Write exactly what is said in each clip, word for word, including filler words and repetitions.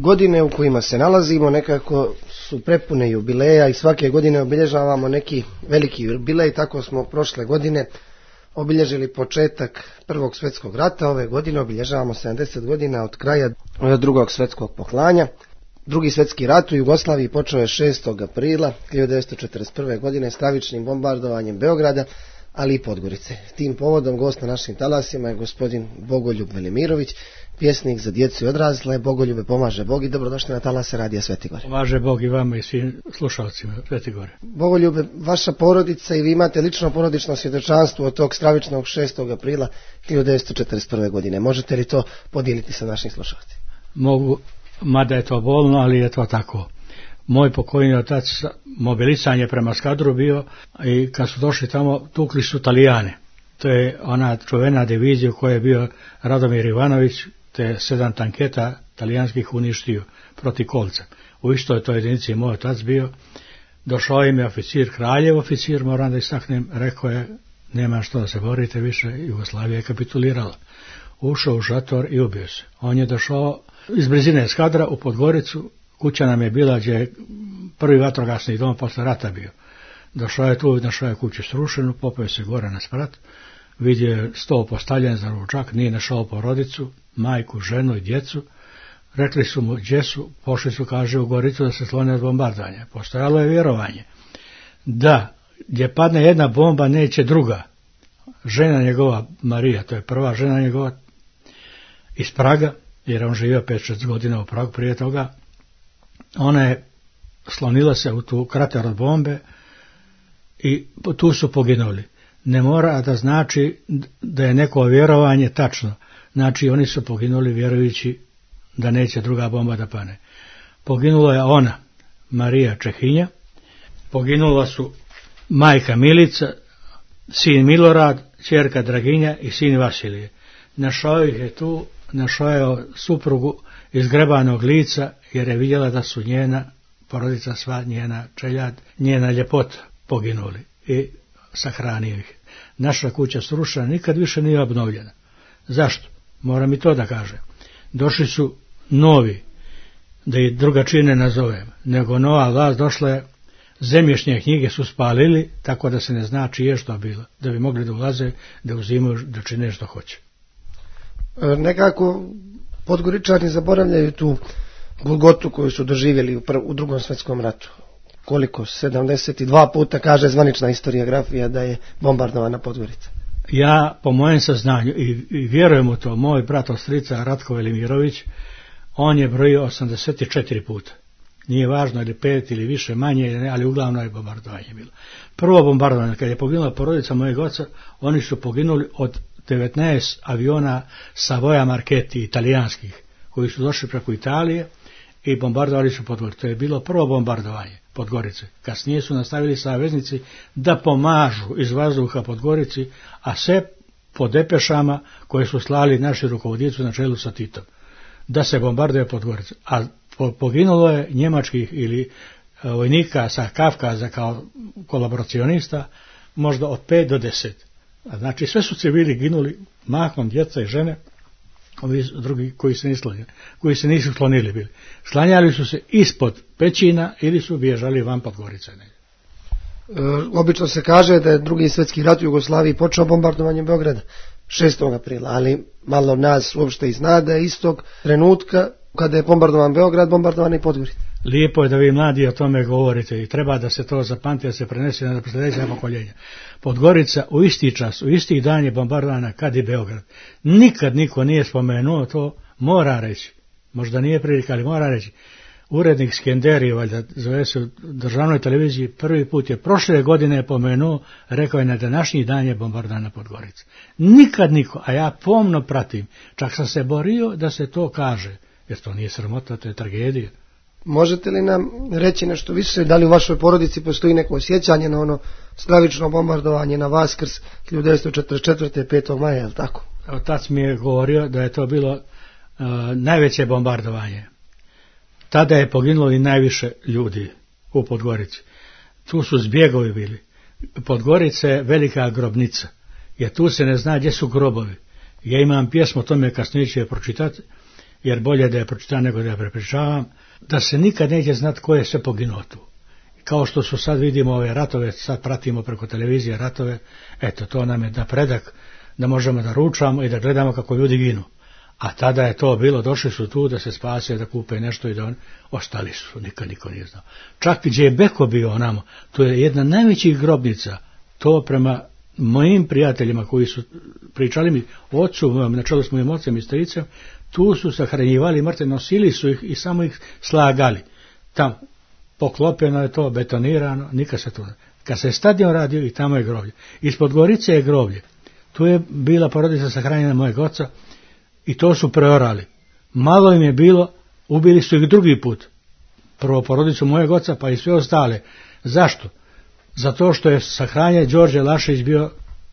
godine u kojima se nalazimo nekako su prepune jubileja i svake godine obilježavamo neki veliki jubilej. Tako smo prošle godine obilježili početak Prvog svjetskog rata, ove godine obilježavamo sedamdeset godina od kraja Drugog svjetskog poklanja. Drugi svjetski rat u Jugoslaviji počeo je šestog aprila hiljadu devetsto četrdeset prve. godine stravičnim bombardovanjem Beograda, ali i Podgorice. Tim povodom gost na našim talasima je gospodin Bogoljub Velimirović, pjesnik za djecu i odrasle. Bogoljube, pomaže Bog i dobrodošli na talase Radija Sveti Gore. Pomaže Bog i vama i svim slušalcima Sveti Gore. Bogoljube, vaša porodica i vi imate lično porodično svjedočanstvo od tog stravičnog šestog aprila hiljadu devetsto četrdeset prve. godine. Možete li to podijeliti sa našim slušalcima? Mogu, mada je to bolno, ali je to tako. Moj pokojni otac mobilisan je prema Skadru bio i kad su došli tamo tukli su Italijane. To je ona čuvena divizija u kojoj je bio Radomir Ivanović, te sedam tanketa talijanskih uništio protiv kolca. U istoj toj jedinici moj otac bio. Došao im je oficir, kraljev oficir, moram da istaknem, rekao je, nema što da se borite više, Jugoslavija je kapitulirala. Ušao u šator i ubio se. On je došao iz blizine Skadra u Podgoricu, kuća nam je bila gdje je prvi vatrogasni dom posle rata bio. Došao je tu, našao je kuću srušenu, popeo se gore na sprat, vidio je sto postavljen za ručak, nije našao porodicu, majku, ženu i djecu. Rekli su mu gdje su, pošli su, kaže, u Goricu da se slone od bombardovanja. Postojalo je vjerovanje da gdje padne jedna bomba neće druga. Žena njegova, Marija, to je prva žena njegova iz Praga, jer on živio pet šest godina u Pragu prije toga, ona je slonila se u tu krater od bombe i tu su poginuli. Ne mora da znači da je neko vjerovanje tačno. Znači oni su poginuli vjerujući da neće druga bomba da pane. Poginula je ona, Marija Čehinja, poginula su majka Milica, sin Milorad, ćerka Draginja i sin Vasilije. Našao ih je tu, našao je suprugu izgrebanog lica, jer je vidjela da su njena porodica, sva njena čeljad, njena ljepota poginuli i sahranio ih. Naša kuća srušena, nikad više nije obnovljena. Zašto? Moram i to da kažem. Došli su novi, da i drugačije ne nazovem, nego nova vlast došla je, zemljišne knjige su spalili, tako da se ne zna čije što bilo, da bi mogli da ulaze, da uzimaju, da čine što hoće. E, nekako Podgoričani zaboravljaju tu golgotu koju su doživjeli u, prv, u drugom svjetskom ratu. Koliko? sedamdeset dva puta kaže zvanična historiografija da je bombardovana Podgorica. Ja, po mojem saznanju, i, i vjerujem u to, moj brat ostrica Ratko Velimirović, on je brojio osamdeset četiri puta. Nije važno ili pet ili više, manje, ali uglavnom je bombardovanje bilo. Prvo bombardovanje, kad je poginula porodica mojeg oca, oni su poginuli od devetnaest aviona Savoia Marchetti, italijanskih, koji su došli preko Italije i bombardovali su Podgoricu. To je bilo prvo bombardovanje Podgorice. Kasnije su nastavili saveznici da pomažu iz vazduha Podgorici, a sve po depešama koje su slali naši rukovodioci na čelu sa Titom, da se bombarduje Podgorica. A poginulo je njemačkih ili vojnika sa Kavkaza kao kolaboracionista možda od pet do deset. A znači sve su civili ginuli, mahom djeca i žene, ovi drugi koji se nisu, koji se nisu slonili bili. Slanjali su se ispod pećina ili su bježali van Podgorice. E, obično se kaže da je drugi svjetski rat u Jugoslaviji počeo bombardovanjem Beograda šestog aprila, ali malo nas uopšte i zna da je istog trenutka kada je bombardovan Beograd, bombardovan i Podgorica. Lijepo je da vi mladi o tome govorite i treba da se to zapamti, da se prenese na sljedeća pokoljenja. Podgorica u isti čas, u isti dan je bombardovana kad i Beograd. Nikad niko nije spomenuo to, mora reći. Možda nije prilika, ali mora reći. Urednik Skenderi, valjda zove se u državnoj televiziji, prvi put je prošle godine pomenuo, rekao je na današnji dan je bombardovana Podgorica. Nikad niko, a ja pomno pratim, čak sam se borio da se to kaže, jer to nije sramota, to je tragedija. Možete li nam reći nešto više, da li u vašoj porodici postoji neko osjećanje na ono stravično bombardovanje na Vaskrs hiljadu devetsto četrdeset četvrte. petog maja, je li tako? Otac mi je govorio da je to bilo uh, najveće bombardovanje. Tada je poginulo i najviše ljudi u Podgorici. Tu su zbjegovi bili. Podgorica je velika grobnica, jer tu se ne zna gdje su grobovi. Ja imam pjesmu o tome, kasnije ću je pročitati, jer bolje da je pročitam nego da je prepričavam, da se nikad neće znati ko je sve poginuo tu. Kao što su sad vidimo ove ratove, sad pratimo preko televizije ratove, eto, to nam je napredak da možemo da ručamo i da gledamo kako ljudi ginu. A tada je to bilo, došli su tu da se spase, da kupe nešto i da oni ostali su, nikad niko nije znao. Čak gdje je Beko bio onamo, to je jedna najvećih grobnica, to prema mojim prijateljima koji su pričali mi ocu, na čelu s mojim ocem i stricem, tu su sahranjivali mrtve, nosili su ih i samo ih slagali. Tam poklopljeno je to, betonirano, nikad se to ne. Kad se stadion radio i tamo je groblje. Ispod Gorice je groblje. Tu je bila porodica sahranjena mojeg oca i to su preorali. Malo im je bilo, ubili su ih drugi put. Prvo porodicu mojeg oca pa i sve ostale. Zašto? Zato što je sahranjen Đorđe Lašić bio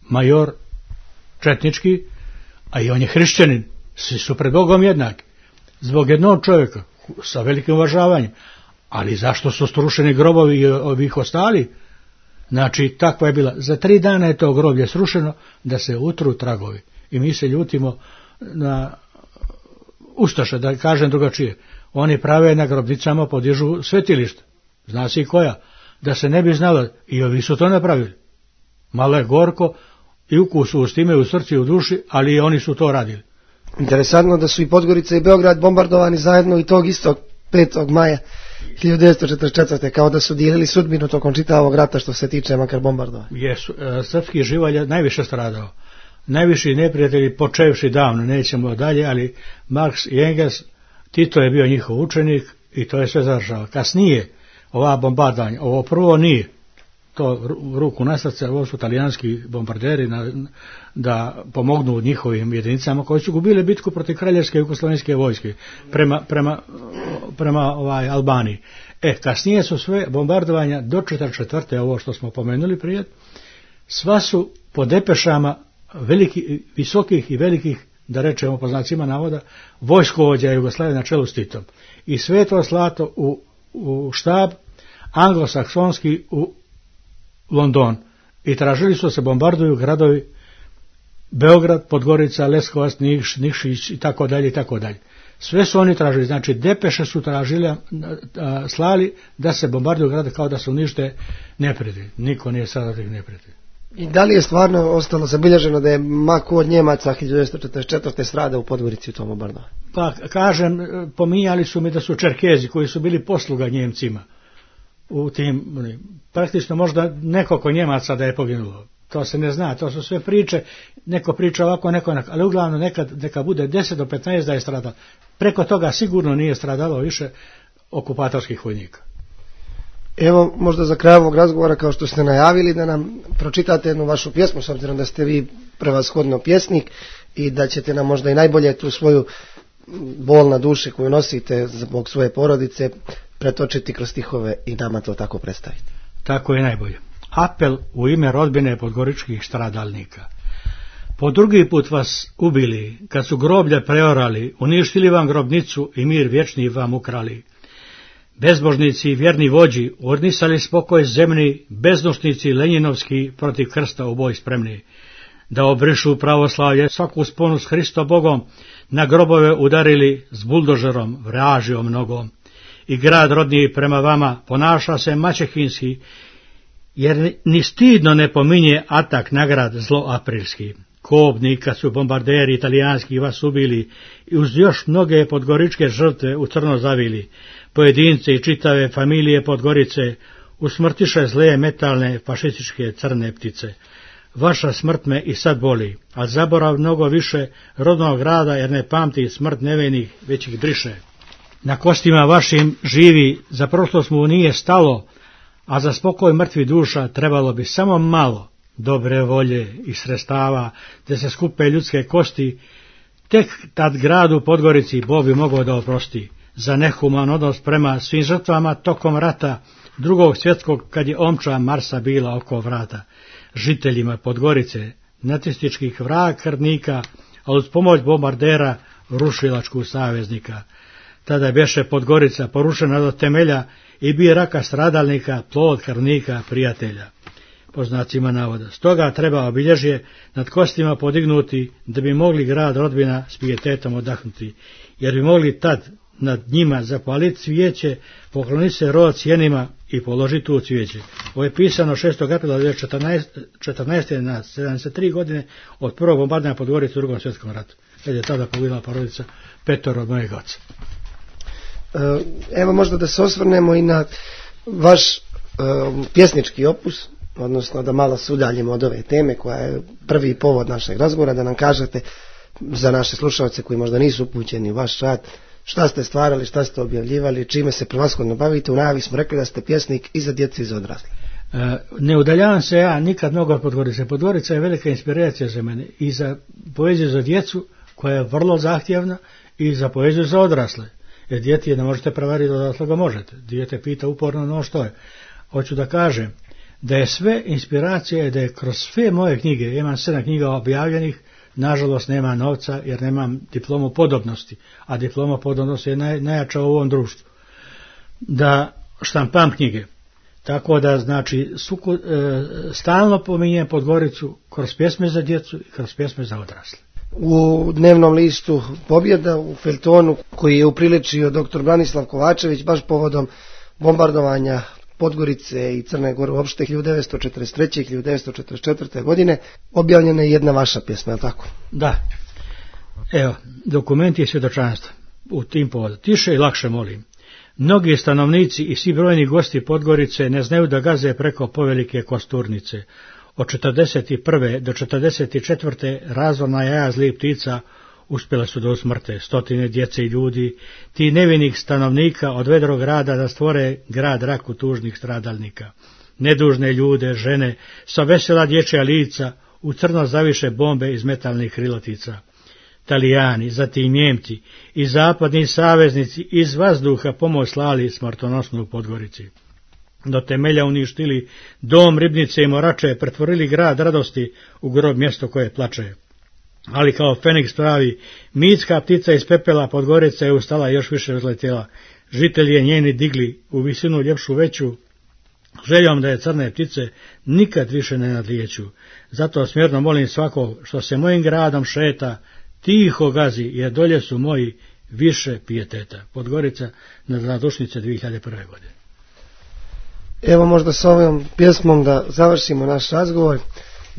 major četnički, a i on je hrišćanin. Svi su pred Bogom jednaki. Zbog jednog čovjeka, sa velikim uvažavanjem. Ali zašto su strušeni grobovi i ovih ostali? Znači, takva je bila. Za tri dana je to groblje srušeno da se utru tragovi. I mi se ljutimo na ustaše, da kažem drugačije. Oni prave na grobnicama, podižu svetilišta. Zna se i koja. Da se ne bi znalo, i ovi su to napravili. Malo je gorko i ukus u stime, u srcu i u duši, ali i oni su to radili. Interesantno da su i Podgorica i Beograd bombardovani zajedno i tog istog petog maja hiljadu devetsto četrdeset četvrte kao da su dijelili sudbinu tokom čitavog rata što se tiče makar bombardovanja. Jesu, e, srpski živalj je najviše stradao. Najviši neprijatelji počevši davno, nećemo dalje, ali Marks i Engels, Tito je bio njihov učenik i to je sve završao. Kasnije, ova bombardovanja, ovo prvo nije, to ruku na srce, ovo su talijanski bombarderi na, da pomognu njihovim jedinicama koji su gubile bitku protiv kraljevske jugoslovenske vojske prema, prema, prema ovaj Albaniji. E, kasnije su sve bombardovanja do četrdeset četvrte ovo što smo pomenuli prije, sva su po depešama veliki, visokih i velikih, da rečemo po znacima navoda, vojskovođa Jugoslavije na čelu s Titom. I sve to slato u, u štab anglosaksonski u London i tražili su se bombarduju gradovi Beograd, Podgorica, Leskovac, Niš, Nikšić i tako dalje i tako dalje. Sve su oni tražili, znači depeše su tražili, a, a, slali da se bombarduju grade kao da se unište neprijatelji. Niko nije sada tih neprijatelji. I da li je stvarno ostalo zabilježeno da je mako od Njemaca hiljadu devetsto četrdeset četvrte strada u Podgorici u tom bombardovanju? Pa kažem, pominjali su mi da su Čerkezi koji su bili posluga Njemcima. U tim, praktično možda nekoliko Njemaca da je poginulo. To se ne zna, to su sve priče, neko priča ovako, neko onako, ali uglavnom nekad, neka bude deset do petnaest da je stradalo. Preko toga sigurno nije stradalo više okupatorskih vojnika. Evo, možda za kraj ovog razgovora, kao što ste najavili, da nam pročitate jednu vašu pjesmu, s obzirom da ste vi prevashodno pjesnik i da ćete nam možda i najbolje tu svoju bol na duši koju nosite zbog svoje porodice pretočiti kroz stihove i nama to tako predstaviti. Tako je najbolje. Apel u ime rodbine podgoričkih stradalnika. Po drugi put vas ubili, kad su groblje preorali, uništili vam grobnicu i mir vječni vam ukrali. Bezbožnici i vjerni vođi odnisali spokoj zemni, bezdušnici lenjinovski protiv krsta u boj spremni. Da obrišu pravoslavlje svaku sponu s Hristo Bogom, na grobove udarili s buldožerom vražijom nogom. I grad rodniji prema vama ponaša se maćehinski, jer ni stidno ne pominje atak na grad zlo aprilski. Kobni kad su bombarderi italijanski vas ubili i uz još mnoge podgoričke žrtve u crno zavili, pojedince i čitave familije Podgorice usmrtiše zle metalne fašističke crne ptice. Vaša smrt me i sad boli, a zaborav mnogo više rodnog grada jer ne pamti smrt nevinih, već ih briše. Na kostima vašim živi, za prošlost mu nije stalo, a za spokoj mrtvi duša trebalo bi samo malo dobre volje i sredstava, da se skupe ljudske kosti, tek tad gradu Podgorici Bog bi mogao da oprosti za nehuman odnos prema svim žrtvama tokom rata drugog svjetskog, kad je omča Marsa bila oko vrata. Žiteljima Podgorice, nacističkih vrag krvnika, a uz pomoć bombardera rušilačku saveznika. Tada beše Podgorica porušena do temelja i bi raka stradalnika, plod krvnika prijatelja. po znacima navoda. Stoga treba obilježje nad kostima podignuti da bi mogli grad rodbina s pijetetom odahnuti, jer bi mogli tad nad njima zapaliti cvijeće, pokloniti se rod sjenima i položiti tu cvijeće. Ovo je pisano šestog aprila hiljadu devetsto četrnaeste. na sedamdeset tri godine od prvog bombardovanja Podgorice u drugom svjetskom ratu, kad je tada poginula porodica petoro od mojeg oca. Evo možda da se osvrnemo i na vaš e, pjesnički opus, odnosno da malo se udaljimo od ove teme koja je prvi povod našeg razgovora, da nam kažete za naše slušalce koji možda nisu upućeni u vaš rad, šta ste stvarali, šta ste objavljivali, čime se prevashodno bavite. U najavi smo rekli da ste pjesnik i za djecu i za odrasle. E, ne udaljavam se ja nikad mnogo od Podgorice. Podgorica je velika inspiracija za mene i za poeziju za djecu koja je vrlo zahtjevna i za poeziju za odrasle. Jer dijete ne možete prevariti, odrasle ga možete. Dijete pita uporno no što je. Hoću da kažem da je sve inspiracija i da je kroz sve moje knjige, imam sedam knjiga objavljenih, nažalost nema novca jer nemam diplomu podobnosti, a diploma podobnosti je naj, najjača u ovom društvu, da štampam knjige. Tako da, znači, suku, e, stalno pominjem Podgoricu kroz pjesme za djecu i kroz pjesme za odrasle. U dnevnom listu Pobjeda, u feljtonu koji je upriličio doktor Branislav Kovačević baš povodom bombardovanja Podgorice i Crne Gore uopšte hiljadu devetsto četrdeset treće. i hiljadu devetsto četrdeset četvrte. godine objavljena je jedna vaša pjesma, je li tako? Da. Evo, dokumenti i svjedočanstva u tim povodu. Tiše i lakše molim. Mnogi stanovnici i svi brojni gosti Podgorice ne znaju da gaze preko povelike Kosturnice. Od četrdeset prve. do četrdeset četvrte. razvorna jaja zlih ptica uspjela su da usmrte stotine djece i ljudi, ti nevinih stanovnika od vedrog grada da stvore grad raku tužnih stradalnika. Nedužne ljude, žene, sa vesela dječja lica, u crno zaviše bombe iz metalnih krilatica. Talijani, zatim Njemci i zapadni saveznici iz vazduha pomoć slali smrtonosnu u Podgorici. Do temelja uništili dom, ribnice i morače, pretvorili grad radosti u grob mjesto koje plače. Ali kao Feniks pravi, mitska ptica iz pepela Podgorica je ustala još više uzletjela. Žitelji je njeni digli u visinu ljepšu veću, željom da je crne ptice nikad više ne nadlijeću. Zato smjerno molim svakog što se mojim gradom šeta, tiho gazi, jer dolje su moji više pijeteta. Podgorica na Zadušnice dvije hiljade prve. godine. Evo možda s ovom pjesmom da završimo naš razgovor.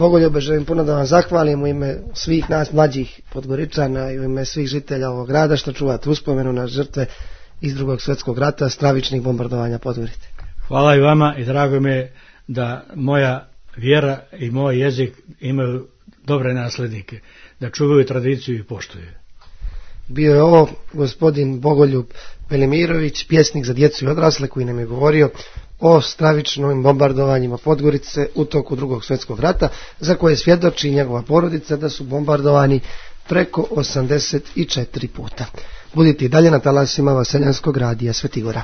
Bogoljube, želim puno da vam zahvalim u ime svih nas mlađih Podgoričana i u ime svih žitelja ovog grada što čuvate uspomenu na žrtve iz drugog svjetskog rata, stravičnih bombardovanja Podgorice. Hvala i vama i drago mi je da moja vjera i moj jezik imaju dobre naslednike, da čuvaju tradiciju i poštuju. Bio je ovo gospodin Bogoljub Velimirović, pjesnik za djecu i odrasle, koji nam je govorio o stravičnim bombardovanjima Podgorice u toku drugog svjetskog rata, za koje svjedoči njegova porodica da su bombardovani preko osamdeset četiri puta. Budite i dalje na talasima Vaseljanskog radija Svetigora.